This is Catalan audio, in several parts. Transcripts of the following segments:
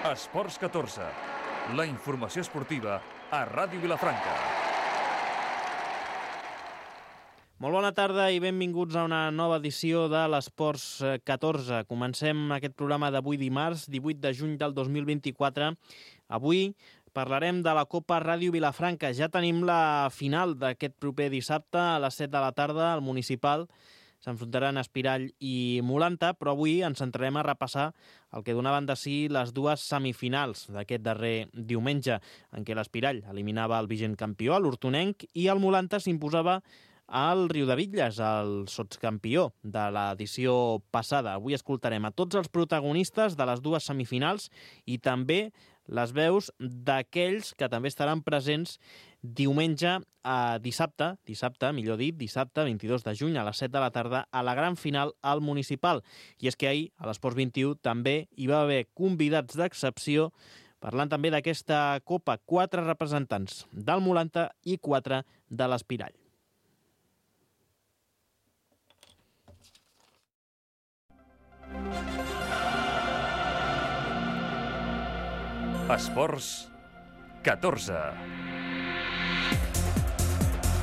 Esports 14, la informació esportiva a Ràdio Vilafranca. Molt bona tarda i benvinguts a una nova edició de l'Esports 14. Comencem aquest programa d'avui dimarts, 18 de juny del 2024. Avui parlarem de la Copa Ràdio Vilafranca. Ja tenim la final d'aquest proper dissabte a les 7 de la tarda al Municipal. S'enfrontaran Espirall i Mulanta, però avui ens centrarem a repassar el que donaven de si les dues semifinals d'aquest darrer diumenge, en què l'Espirall eliminava el vigent campió, l'Hortonenc, i el Mulanta s'imposava al Riudebitlles, el sotscampió de l'edició passada. Avui escoltarem a tots els protagonistes de les dues semifinals i també les veus d'aquells que també estaran presents diumenge a dissabte, dissabte 22 de juny a les 7 de la tarda a la gran final al Municipal. I és que ahir a l'Esports 21 també hi va haver convidats d'excepció parlant també d'aquesta Copa, 4 representants del Mulanta i 4 de l'Espirall. Esports 14.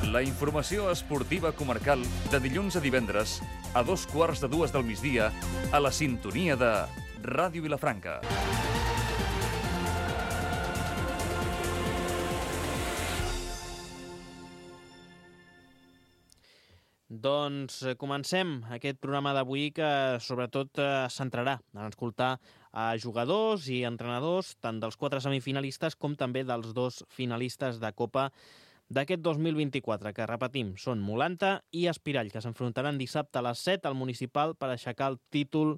La informació esportiva comarcal de dilluns a divendres a 2:15 del migdia a la sintonia de Ràdio Vilafranca. Doncs comencem aquest programa d'avui que sobretot es centrarà en escoltar a jugadors i entrenadors tant dels 4 semifinalistes com també dels 2 finalistes de Copa d'aquest 2024, que repetim, són Mulanta i Espirall, que s'enfrontaran dissabte a les 7 al Municipal per aixecar el títol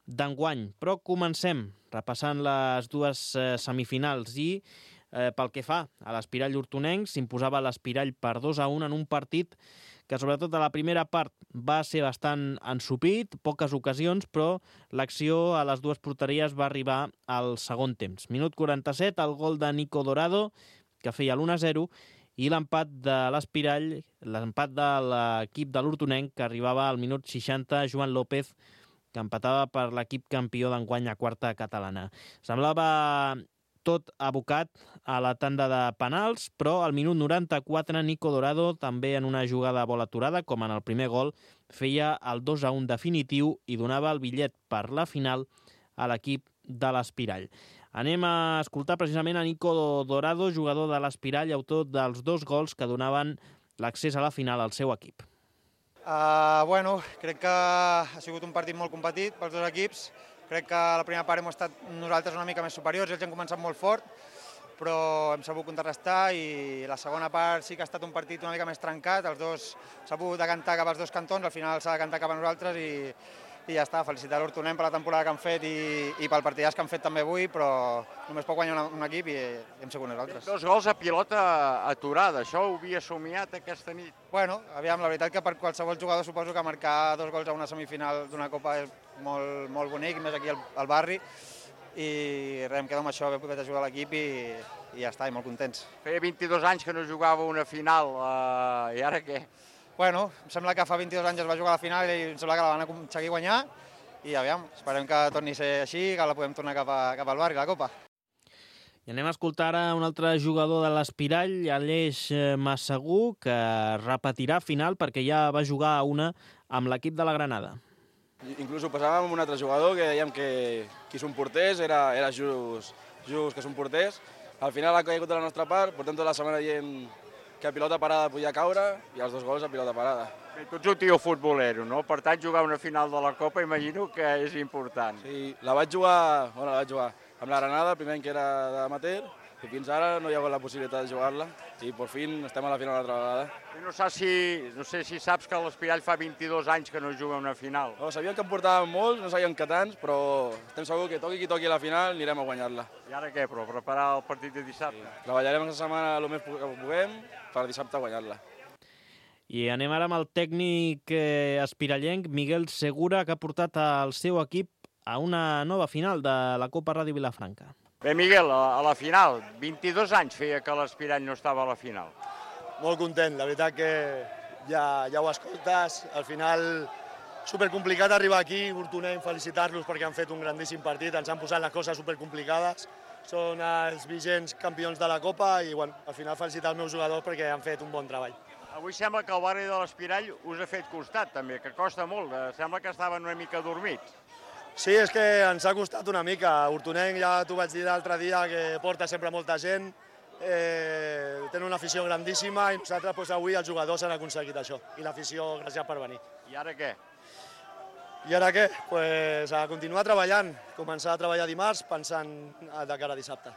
d'enguany. Però comencem repassant les dues semifinals i pel que fa a l'Espirall Hortonenc, s'imposava l'Espirall per 2-1 en un partit que sobretot a la primera part va ser bastant ensopit, poques ocasions, però l'acció a les dues porteries va arribar al segon temps. Minut 47, el gol de Nico Dorado, que feia l'1-0, i l'empat de l'Espirall, l'empat de l'equip de l'Hortonenc, que arribava al minut 60, Joan López, que empatava per l'equip campió d'enguany a quarta catalana. Semblava tot abocat a la tanda de penals, però al minut 94 Nico Dorado, també en una jugada a bola aturada, com en el primer gol, feia el 2-1 definitiu i donava el bitllet per la final a l'equip de l'Espirall. Anem a escoltar precisament a Nico Dorado, jugador de l'Espirall, autor dels 2 gols que donaven l'accés a la final al seu equip. Crec que ha sigut un partit molt competit pels 2 equips. Crec que a la primera part hem estat nosaltres una mica més superiors, ells han començat molt fort, però hem sabut contrarrestar i la segona part sí que ha estat un partit una mica més trencat, els dos s'ha pogut decantar cap als 2 cantons, al final s'ha decantat cap a nosaltres i ja està, felicitar l'Hortonenc per la temporada que han fet i pel partidàs que han fet també avui, però només pot guanyar un equip i hem sigut nosaltres. 2 gols a pilota aturada, això ho havia somiat aquesta nit? Aviam, la veritat que per qualsevol jugador suposo que marcar 2 gols a una semifinal d'una Copa és molt bonic, més aquí al barri, i res, em quedo amb això, haver pogut ajudar l'equip i ja està, i molt contents. Feia 22 anys que no jugava una final, i ara què? Em sembla que fa 22 anys es va jugar a la final i em sembla que la van aconseguir guanyar i aviam, esperem que torni a ser així, que la podem tornar cap al barri, la Copa. I anem a escoltar ara un altre jugador de l'Espirall, Aleix Massagú, que repetirà final perquè ja va jugar a una amb l'equip de la Granada. Inclús ho passàvem amb un altre jugador que dèiem que qui són porters era just que són porters. Al final ha caigut de la nostra part, portem tota la setmana dient que a pilota parada podia caure i els 2 gols a pilota parada. Tu ets un tio futbolero, no? Per tant, jugar una final de la Copa imagino que és important. Sí, la vaig jugar amb la Granada, el primer any que era d'amateur, i fins ara no hi ha hagut la possibilitat de jugar-la i per fi estem a la final l'altra vegada. No sé si saps que l'Espirall fa 22 anys que no juga una final. Sabíem que en portàvem molts, no sabíem que tants, però estem segurs que toqui qui toqui a la final anirem a guanyar-la. I ara què, però? Preparar el partit de dissabte? Sí. Treballarem aquesta setmana el més que puguem per dissabte guanyar-la. I anem ara amb el tècnic espirallenc Miguel Segura, que ha portat el seu equip a una nova final de la Copa Ràdio Vilafranca. Bé, Miguel, a la final, 22 anys feia que l'Espirall no estava a la final. Molt content, la veritat que ja ho escoltes, al final supercomplicat arribar aquí, Hortonenc, felicitar-los perquè han fet un grandíssim partit, ens han posat les coses supercomplicades, són els vigents campions de la Copa i bueno, al final felicitar els meus jugadors perquè han fet un bon treball. Avui sembla que el barri de l'Espirall us ha fet costat també, que costa molt, sembla que estaven una mica dormits. Sí, és que ens ha costat una mica. Hortonenc, ja t'ho vaig dir l'altre dia, que porta sempre molta gent, tenen una afició grandíssima i nosaltres avui els jugadors han aconseguit això. I l'afició, gràcies per venir. I ara què? I ara què? Pues a continuar treballant, començar a treballar dimarts pensant de cara a dissabte.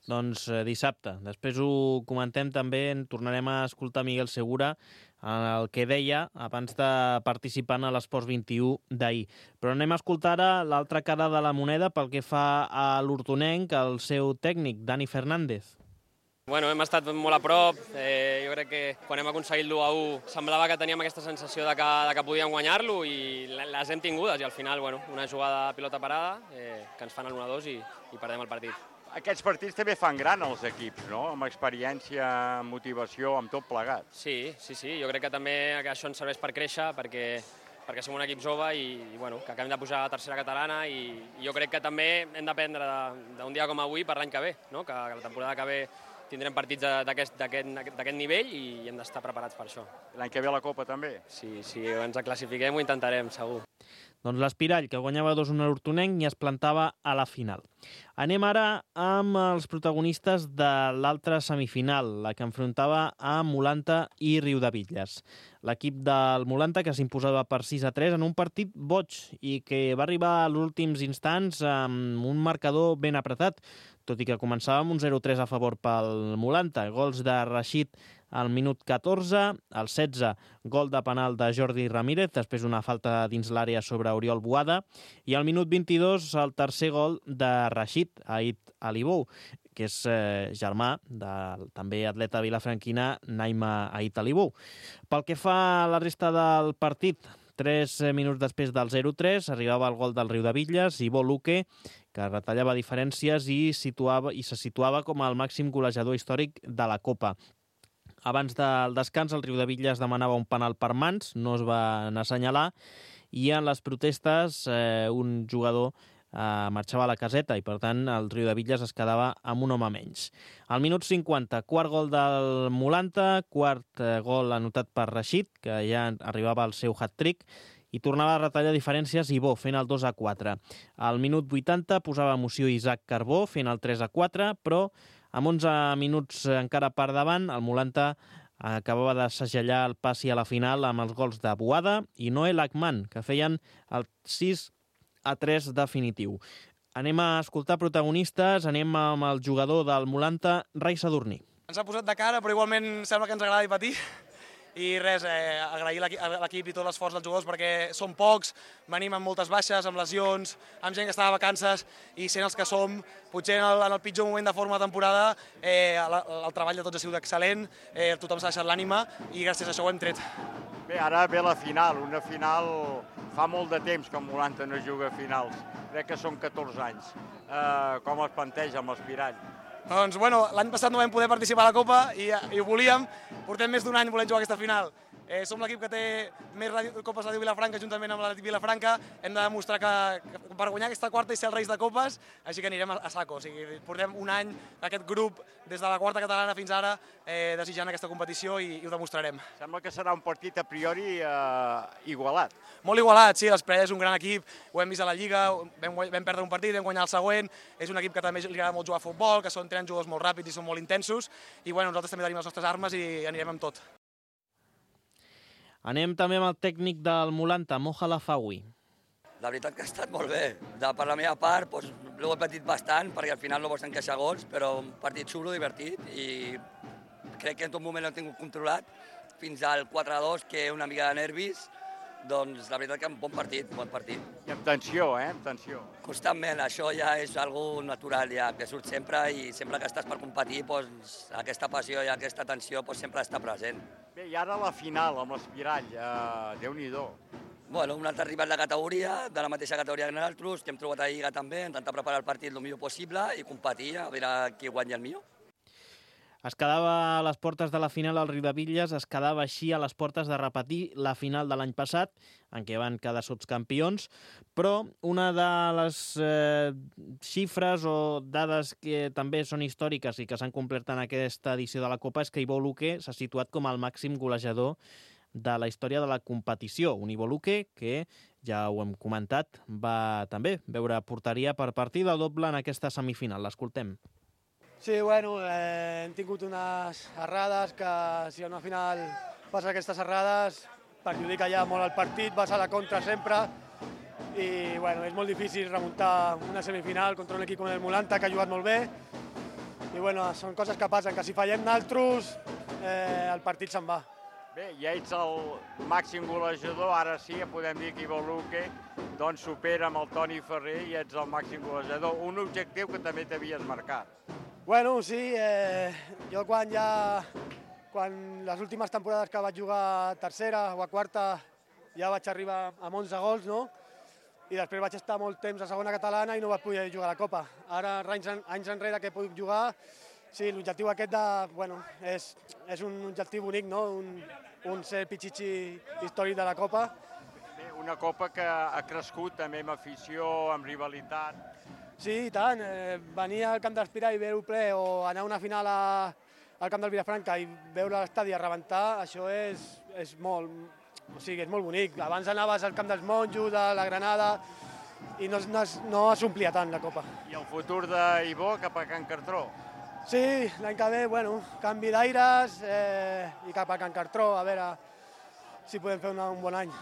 Doncs dissabte. Després ho comentem també, en tornarem a escoltar Miguel Segura el que deia abans de participar en l'Esports 21 d'ahir. Però anem a escoltar ara l'altra cara de la moneda pel que fa a l'Hortonenc, el seu tècnic, Dani Fernández. Bueno, hem estat molt a prop, jo crec que quan hem aconseguit l'1-1 semblava que teníem aquesta sensació de que podíem guanyar-lo i les hem tingudes i al final una jugada de pilota parada que ens fan el 1-2 i perdem el partit. Aquests partits també fan gran els equips, no? Amb experiència, amb motivació, amb tot plegat. Sí, jo crec que també això ens serveix per créixer perquè som un equip jove i que acabem de pujar a la tercera catalana i jo crec que també hem d'aprendre d'un dia com avui per l'any que ve, no? Que la temporada que ve tindrem partits d'aquest nivell i hem d'estar preparats per això. L'any que ve la Copa també? Si ens classifiquem ho intentarem, segur. Doncs l'Espirall, que guanyava 2-1 a l'Hortonenc i es plantava a la final. Anem ara amb els protagonistes de l'altra semifinal, la que enfrontava a Mulanta i Riudebitlles. L'equip del Mulanta que s'imposava per 6-3 en un partit boig i que va arribar als últims instants amb un marcador ben apretat, tot i que començava amb un 0-3 a favor pel Mulanta. Gols de Rashid al minut 14, al 16, gol de penal de Jordi Ramírez, després una falta dins l'àrea sobre Oriol Boada, i al minut 22 el tercer gol de Rashid, Ait Alibou, que és germà del també atleta vilafranquina Naima Ait Alibou. Pel que fa a la resta del partit, 3 minuts després del 0-3 arribava el gol del Riudebitlles, Ivo Luque, que retallava diferències i se situava com el màxim golejador històric de la Copa. Abans del descans, el Riudebitlles demanava un penal per mans, no es va assenyalar, i en les protestes un jugador marxava a la caseta i, per tant, el Riudebitlles es quedava amb un home menys. Al minut 50, quart gol del Mulanta, quart gol anotat per Rashid, que ja arribava al seu hat-trick, i tornava a retallar diferències Ibó, fent el 2-4. Al minut 80 posava emoció Isaac Carbó, fent el 3-4, però amb 11 minuts encara per davant, el Mulanta acabava de segellar el passi a la final amb els gols de Boada i Noel Akman, que feien el 6-3 definitiu. Anem a escoltar protagonistes, anem amb el jugador del Mulanta, Rai Sadurní. Ens ha posat de cara, però igualment sembla que ens agrada patir. I res, agrair a l'equip i tot l'esforç dels jugadors perquè som pocs, venim amb moltes baixes, amb lesions, amb gent que està de vacances i sent els que som, potser en el pitjor moment de forma de temporada el treball de tots ha sigut excel·lent, tothom s'ha deixat l'ànima i gràcies a això ho hem tret. Bé, ara ve la final, una final fa molt de temps que el Mulanta no juga a finals, crec que són 14 anys. Com es planteja amb l'Espirall? Doncs, bueno, l'any passat no vam poder participar a la Copa i ho volíem. Portem més d'un any volent jugar aquesta final. Som l'equip que té més Copes Ràdio Vilafranca juntament amb l'Atlètic Vilafranca. Hem de demostrar que per guanyar aquesta quarta i ser els reis de Copes, així que anirem a saco. O sigui, portem un any, aquest grup, des de la quarta catalana fins ara, desitjant aquesta competició i ho demostrarem. Sembla que serà un partit a priori igualat. Molt igualat, sí, l'Espirall és un gran equip, ho hem vist a la Lliga, vam perdre un partit, vam guanyar el següent, és un equip que també li agrada molt jugar a futbol, que tenen jugadors molt ràpids i són molt intensos, i bueno, nosaltres també tenim les nostres armes i anirem amb tot. Anem també amb el tècnic del Mulanta, Moja Lafawi. La veritat que ha estat molt bé. Per la meva part, l'ho he patit bastant, perquè al final no vols encaixar gols, però un partit xulo, divertit, i crec que en tot moment l'hem tingut controlat, fins al 4-2, que una mica de nervis, doncs la veritat que un bon partit. I amb tensió, amb tensió. Constantment, això ja és algo natural, ja, que surt sempre, i sempre que estàs per competir, aquesta passió i aquesta tensió sempre està present. Bé, i ara la final amb l'Espirall, Déu-n'hi-do. Bueno, un altre rival de categoria, de la mateixa categoria que nosaltres, que hem trobat a Lliga també, intentar preparar el partit el millor possible i competir, a veure qui guanya el millor. Es quedava a les portes de la final el Riudebitlles, es quedava així a les portes de repetir la final de l'any passat, en què van quedar sotscampions, però una de les xifres o dades que també són històriques i que s'han complert en aquesta edició de la Copa és que Ivo Luque s'ha situat com el màxim golejador de la història de la competició. Un Ivo Luque que, ja ho hem comentat, va també veure porteria per partida doble en aquesta semifinal. L'escoltem. Sí, bueno, hem tingut unes errades que si a una final passa aquestes errades perjudica ja molt el partit, vas a la contra sempre i bueno, és molt difícil remuntar una semifinal contra un equip com el Mulanta que ha jugat molt bé i bueno, són coses que passen, que si fallem naltros el partit se'n va. Bé, ja ets el màxim golejador, ara sí, podem dir que Ivo Luque doncs supera amb el Toni Ferrer i ets el màxim golejador, un objectiu que també t'havies marcat. Bueno, sí, jo quan les últimes temporades que vaig jugar a tercera o a quarta ja vaig arribar amb 11 gols, no? I després vaig estar molt temps a segona catalana i no vaig poder jugar a la Copa. Ara, anys enrere que he pogut jugar, sí, l'objectiu aquest és un objectiu bonic, no? Un ser pitxitxi històric de la Copa. Bé, una Copa que ha crescut també amb afició, amb rivalitat. Sí, i tant. Venir al camp d'Espirà i veure-ho ple o anar a una final al camp del Vilafranca i veure l'estadi a rebentar, això és molt bonic. Abans anaves al camp dels Monjos, a la Granada, i no s'omplia tant la Copa. I el futur d'Ivo cap a Can Cartró? Sí, l'any que ve, bueno, canvi d'aires i cap a Can Cartró, a veure si podem fer un bon any.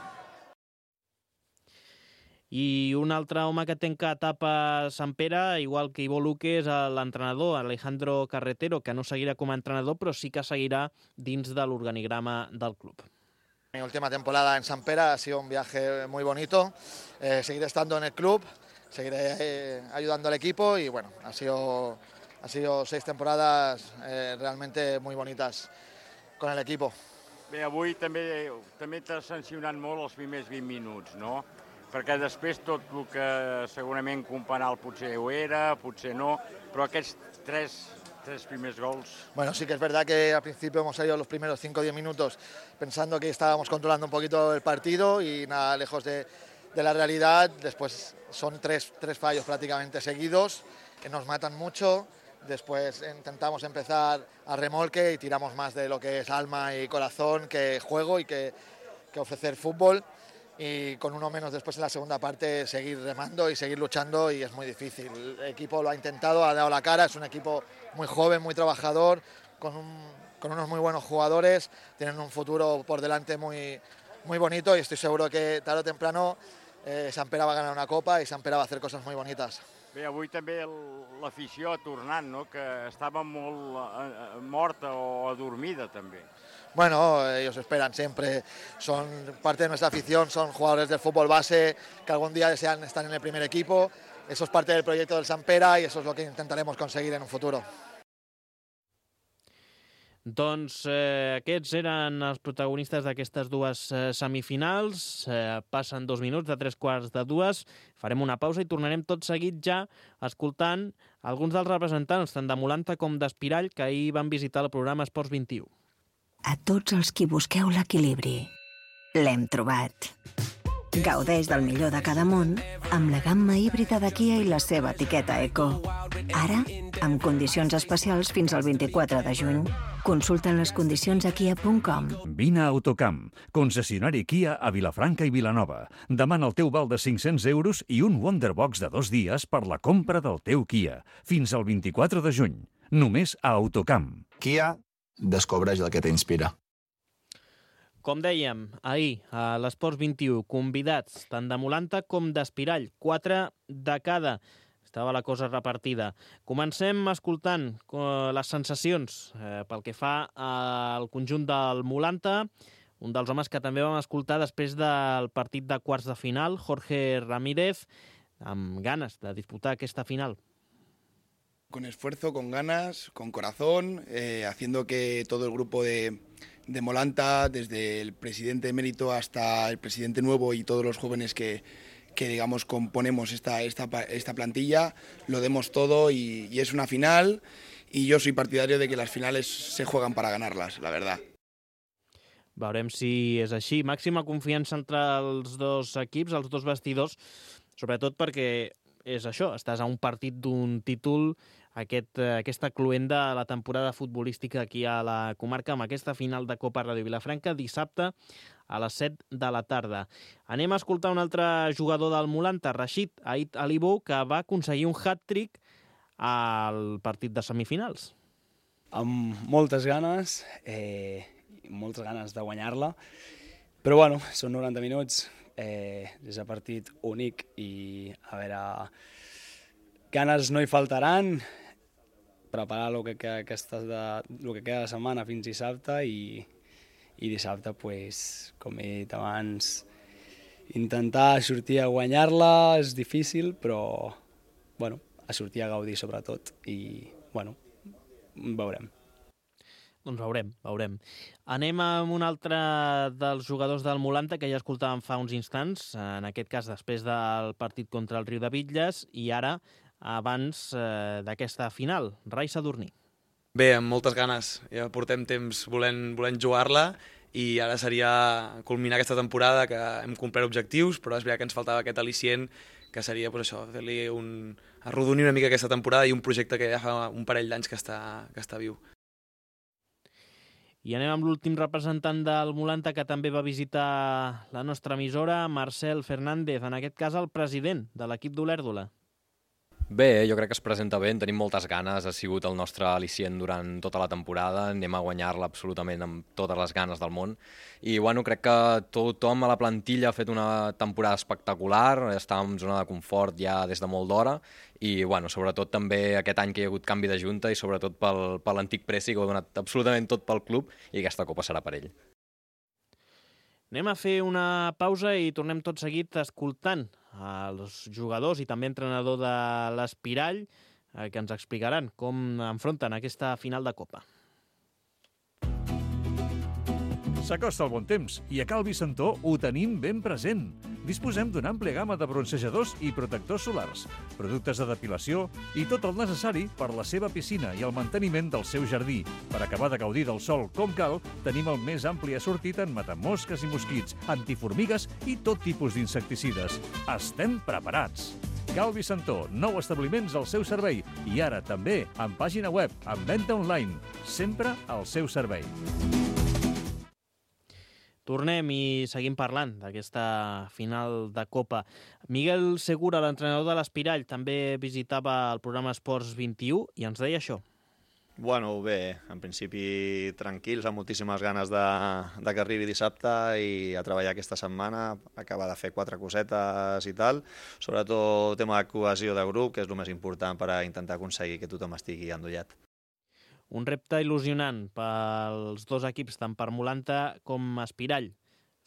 I un altre home que tanca etapa a Sant Pere, igual que Ivo Luque, és l'entrenador Alejandro Carretero, que no seguirà com a entrenador, però sí que seguirà dins de l'organigrama del club. Mi última temporada en Sant Pere ha sido un viaje muy bonito. Seguiré estando en el club, seguiré ayudando al equipo y bueno, ha sido 6 temporadas realmente muy bonitas con el equipo. Bé, avui també t'ha sancionat molt els primers 20 minuts, no? Perquè després tot el que segurament Companal potser ho era, potser no, però aquests tres primers gols... Bueno, sí que es verdad que al principio hemos salido los primeros 5 o 10 minutos pensando que estábamos controlando un poquito el partido y nada lejos de la realidad. Después son tres fallos prácticamente seguidos que nos matan mucho. Después intentamos empezar a remolque y tiramos más de lo que es alma y corazón que juego y que ofrecer fútbol. Y con uno menos después en la segunda parte seguir remando y seguir luchando y es muy difícil. El equipo lo ha intentado, ha dado la cara, es un equipo muy joven, muy trabajador, con unos muy buenos jugadores, tienen un futuro por delante muy bonito y estoy seguro que tarde o temprano Sant Pere va a ganar una Copa y Sant Pere va a hacer cosas muy bonitas. Bé, avui també l'afició ha tornat, no? Que estava molt morta o adormida també. Bueno, ellos esperan siempre, son parte de nuestra afición, son jugadores del fútbol base que algún día desean estar en el primer equipo, eso es parte del proyecto del Sant Pere y eso es lo que intentaremos conseguir en un futuro. Doncs aquests eren els protagonistes d'aquestes dues semifinals. Passen 2 minuts de 3:15. Farem una pausa i tornarem tot seguit ja escoltant alguns dels representants, tant de Mulanta com d'Espirall, que ahir van visitar el programa Esports 21. A tots els qui busqueu l'equilibri, l'hem trobat. Gaudeix del millor de cada món amb la gamma híbrida de Kia i la seva etiqueta Eco. Ara, amb condicions especials fins al 24 de juny. Consulta les condicions a kia.com. Vine a Autocamp, concessionari Kia a Vilafranca i Vilanova. Demana el teu val de 500 euros i un Wonderbox de 2 dies per la compra del teu Kia. Fins al 24 de juny. Només a Autocamp. Kia, descobreix el que t'inspira. Com dèiem, ahir a l'Esports 21, convidats tant de Mulanta com d'Espirall, 4 de cada. Estava la cosa repartida. Comencem escoltant les sensacions pel que fa al conjunt del Mulanta, un dels homes que també vam escoltar després del partit de quarts de final, Jorge Ramírez, amb ganes de disputar aquesta final. Con esfuerzo, con ganas, con corazón, haciendo que todo el grupo de Mulanta, desde el presidente emérito hasta el presidente nuevo y todos los jóvenes que digamos, componemos esta plantilla, lo demos todo y es una final y yo soy partidario de que las finales se juegan para ganarlas, la verdad. Veurem si és així. Màxima confiança entre els dos equips, els dos vestidors, sobretot perquè és això, estàs a un partit d'un títol, aquesta cluenda a la temporada futbolística aquí a la comarca, amb aquesta final de Copa Ràdio Vilafranca, dissabte a les 7 de la tarda. Anem a escoltar un altre jugador del Molanta, Rashid Ait Alibou, que va aconseguir un hat-trick al partit de semifinals. Amb moltes ganes de guanyar-la, però bueno, són 90 minuts, és un partit únic i a veure, ganes no hi faltaran, preparar el que queda de setmana fins dissabte i dissabte, pues, com he dit abans, intentar sortir a guanyar-la és difícil, però bueno, a sortir a gaudir sobretot i bueno, veurem. Doncs veurem. Anem amb un altre dels jugadors del Molanta que ja escoltàvem fa uns instants, en aquest cas després del partit contra el Riu de Bitlles i ara abans d'aquesta final, Rai Sadurní. Bé, amb moltes ganes. Ja portem temps volent jugar-la i ara seria culminar aquesta temporada que hem complert objectius, però és veritat que ens faltava aquest al·licient que seria pues, això, fer-li arrodonir una mica aquesta temporada i un projecte que ja fa un parell d'anys que està viu. I anem amb l'últim representant del Molanta que també va visitar la nostra emissora, Marcel Fernández, en aquest cas el president de l'equip d'Olèrdola. Bé, jo crec que es presenta bé, en tenim moltes ganes, ha sigut el nostre al·licient durant tota la temporada, anem a guanyar-la absolutament amb totes les ganes del món i bueno, crec que tothom a la plantilla ha fet una temporada espectacular, estàvem en zona de confort ja des de molt d'hora i bueno, sobretot també aquest any que hi ha hagut canvi de junta i sobretot per l'antic Presi que ho ha donat absolutament tot pel club i aquesta copa serà per ell. Anem a fer una pausa i tornem tot seguit escoltant els jugadors i també entrenador de l'Espirall que ens explicaran com enfronten aquesta final de Copa. S'acosta el bon temps i a Cal Vicentó ho tenim ben present. Disposem d'una àmplia gamma de bronzejadors i protectors solars, productes de depilació i tot el necessari per la seva piscina i el manteniment del seu jardí. Per acabar de gaudir del sol com cal, tenim el més ampli assortit en matamosques i mosquits, antiformigues i tot tipus d'insecticides. Estem preparats! Cal Vicentó, 9 establiments al seu servei i ara també amb pàgina web, amb venda online, sempre al seu servei. Tornem i seguim parlant d'aquesta final de Copa. Miguel Segura, l'entrenador de l'Espirall, també visitava el programa Esports 21 i ens deia això. Bueno, bé, en principi tranquils, amb moltíssimes ganes de que arribi dissabte i a treballar aquesta setmana, acabar de fer 4 cosetes i tal, sobretot tema de cohesió de grup, que és el més important per a intentar aconseguir que tothom estigui endollat. Un repte il·lusionant pels dos equips, tant per Molanta com Espirall.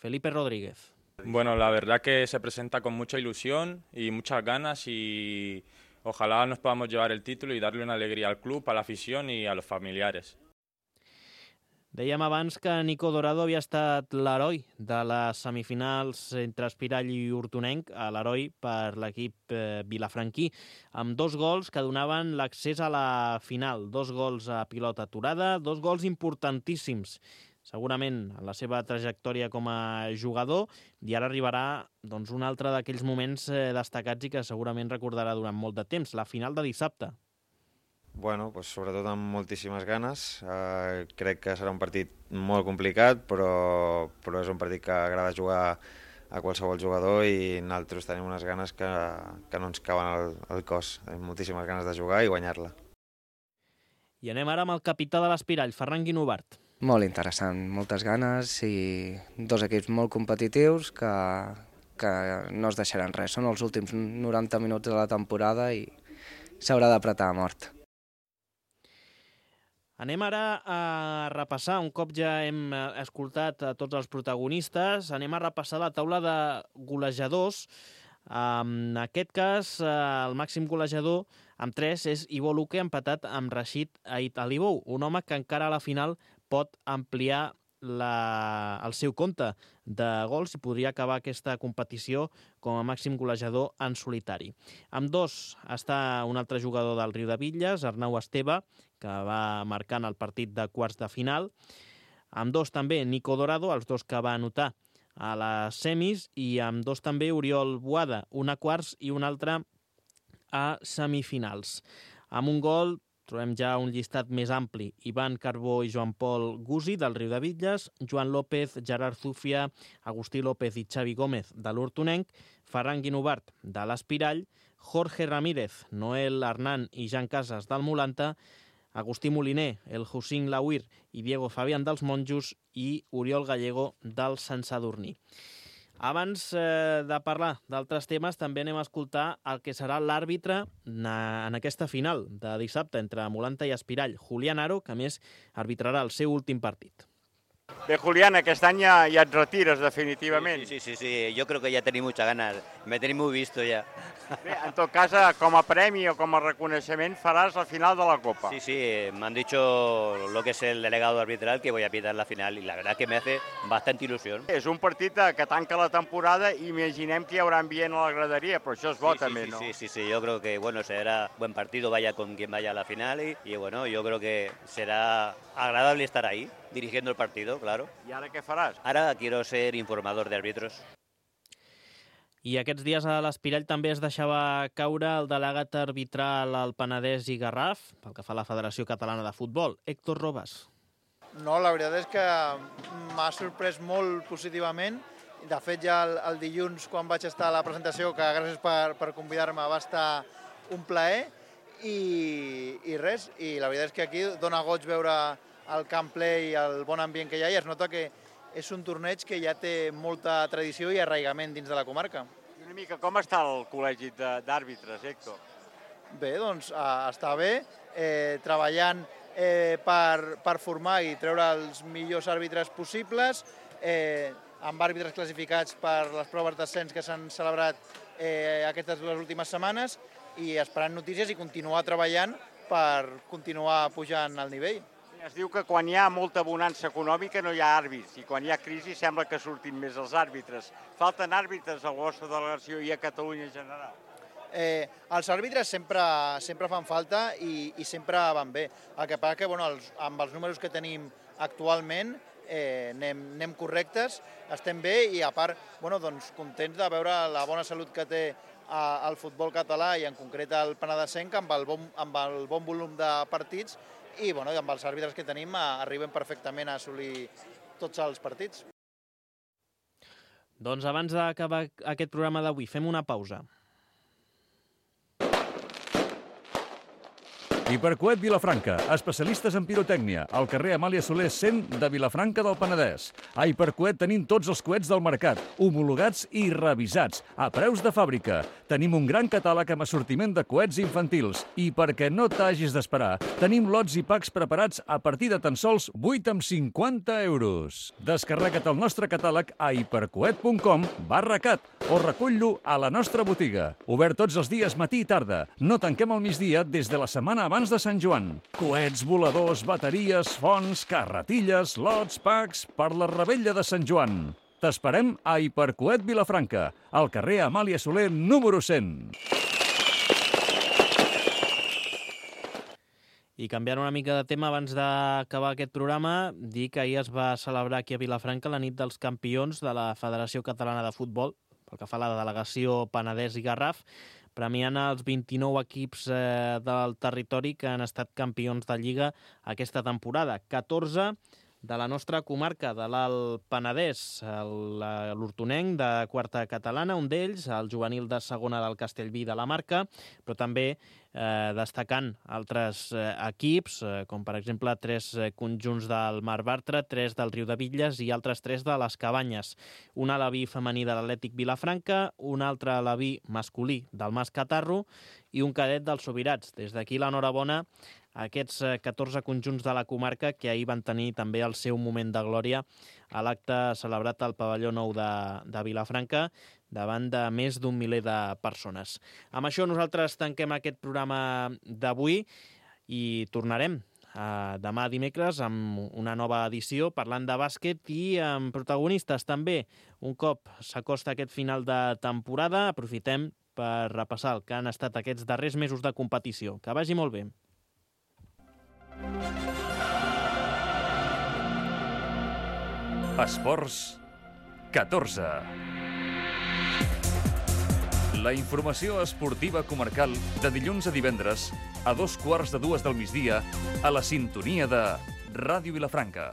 Felipe Rodríguez. Bueno, la verdad que se presenta con mucha ilusión y muchas ganas y ojalá nos podamos llevar el título y darle una alegría al club, a la afición y a los familiares. Dèiem abans que Nico Dorado havia estat l'heroi de les semifinals entre Espirall i Hortonenc, l'heroi per l'equip vilafranquí, amb 2 gols que donaven l'accés a la final. 2 gols a pilota aturada, 2 gols importantíssims, segurament en la seva trajectòria com a jugador, i ara arribarà doncs, un altre d'aquells moments destacats i que segurament recordarà durant molt de temps, la final de dissabte. Bueno, pues sobretot amb moltíssimes ganes. Crec que serà un partit molt complicat, però és un partit que agrada jugar a qualsevol jugador i nosaltres tenim unes ganes que no ens cauen al cos. Tenim moltíssimes ganes de jugar i guanyar-la. I anem ara amb el capità de l'Espirall, Ferran Guinovart. Molt interessant, moltes ganes i 2 equips molt competitius que no es deixaran res. Són els últims 90 minuts de la temporada i s'haurà d'apretar a mort. Anem ara a repassar, un cop ja hem escoltat a tots els protagonistes, anem a repassar la taula de golejadors. En aquest cas, el màxim golejador amb 3 és Ivo Luque, empatat amb Rashid Ait Alibou, un home que encara a la final pot ampliar el seu compte de gols i podria acabar aquesta competició com a màxim golejador en solitari. Amb dos està un altre jugador del Riudebitlles, Arnau Esteve, que va marcant el partit de quarts de final. Amb dos també Nico Dorado, els dos que va anotar a les semis, i amb dos també Oriol Boada, un a quarts i un altre a semifinals. Amb un gol trobem ja un llistat més ampli. Ivan Carbó i Joan Pol Gusi, del Riudebitlles, Joan López, Gerard Zúfia, Agustí López i Xavi Gómez, de l'Hortonenc, Ferran Guinovart, de l'Espirall, Jorge Ramírez, Noel Arnán i Jan Casas, del Molanta, Agustí Moliner, el Hussein Lauir i Diego Fabián, dels Monjos, i Oriol Gallego, del Sant Sadurní. Abans de parlar d'altres temes, també anem a escoltar el que serà l'àrbitre en aquesta final de dissabte entre Molanta i Espirall, Julián Aro, que a més arbitrarà el seu últim partit. Bé, Julián, aquest any ja et retires definitivament. Sí, yo creo que ya tenéis muchas ganas, me tenéis muy visto ya. Bé, en tot cas, com a premi o com a reconeixement faràs la final de la Copa. Sí, me han dicho lo que es el delegado arbitral que voy a pitar la final y la verdad que me hace bastante ilusión. És un partit que tanca la temporada i imaginem que hi haurà ambient a la graderia, però això és bo també, ¿no? Sí, yo creo que bueno, será buen partido, vaya con quien vaya a la final y bueno, yo creo que será agradable estar ahí, dirigiendo el partido, claro. I ara què faràs? Ara quiero ser informador de árbitros. I aquests dies a l'Espirall també es deixava caure el delegat arbitral al Penedès i Garraf, pel que fa a la Federació Catalana de Futbol, Héctor Robas. No, la veritat és que m'ha sorprès molt positivament. De fet, ja el dilluns, quan vaig estar a la presentació, que gràcies per convidar-me, va estar un plaer. I res, i la veritat és que aquí dona goig veure el camp ple i el bon ambient que hi ha, i es nota que és un torneig que ja té molta tradició i arraigament dins de la comarca. I una mica, com està el col·legi d'àrbitres, Héctor? Bé, doncs està bé, treballant per formar i treure els millors àrbitres possibles, amb àrbitres classificats per les proves d'ascens que s'han celebrat aquestes dues últimes setmanes, i esperant notícies i continuar treballant per continuar pujant el nivell. Es diu que quan hi ha molta bonança econòmica no hi ha àrbits, i quan hi ha crisi sembla que surtin més els àrbitres. Falten àrbitres a la vostra delegació i a Catalunya en general? Els àrbitres sempre fan falta i sempre van bé. El que passa que amb els números que tenim actualment anem correctes, estem bé, i a part contents de veure la bona salut que té el futbol català i en concret el penedesenc amb el bon volum de partits, i amb els àrbitres que tenim arribem perfectament a assolir tots els partits. Doncs abans d'acabar aquest programa d'avui, fem una pausa. Hipercoet Vilafranca, especialistes en pirotècnia, al carrer Amàlia Soler 100 de Vilafranca del Penedès. A Hipercoet tenim tots els coets del mercat, homologats i revisats, a preus de fàbrica. Tenim un gran catàleg amb assortiment de coets infantils i, perquè no t'hagis d'esperar, tenim lots i packs preparats a partir de tan sols 8,50 €. Descarrega't el nostre catàleg a hipercoet.com/cat o recull-lo a la nostra botiga. Obert tots els dies matí i tarda. No tanquem al migdia des de la setmana abans de Sant Joan. Coets, voladors, bateries, fonts, carretilles, lots, packs per la revetlla de Sant Joan. T'esperem a Hipercoet Vilafranca, al carrer Amàlia Soler número 100. I canviant una mica de tema abans d'acabar aquest programa, dir que ahir es va celebrar aquí a Vilafranca la nit dels campions de la Federació Catalana de Futbol, pel que fa a la delegació Penedès i Garraf, premiant els 29 equips del territori que han estat campions de Lliga aquesta temporada. 14 de la nostra comarca, de l'Alt Penedès, l'Hortonenc de quarta catalana, un d'ells, el juvenil de segona del Castellví de la Marca, però també destacant altres equips, com per exemple 3 conjunts del Mar Bartra, 3 del Riudebitlles i altres 3 de les Cabanyes. Un alaví femení de l'Atlètic Vilafranca, un altre alaví masculí del Mas Catarro i un cadet dels Sobirats. Des d'aquí l'enhorabona a aquests 14 conjunts de la comarca que ahir van tenir també el seu moment de glòria a l'acte celebrat al pavelló nou de Vilafranca davant de més d'un miler de persones. Amb això nosaltres tanquem aquest programa d'avui i tornarem demà dimecres amb una nova edició parlant de bàsquet i amb protagonistes també. Un cop s'acosta aquest final de temporada, aprofitem per repassar el que han estat aquests darrers mesos de competició. Que vagi molt bé. Esports 14. La informació esportiva comarcal de dilluns a divendres a 2:15 del migdia a la sintonia de Ràdio Vilafranca.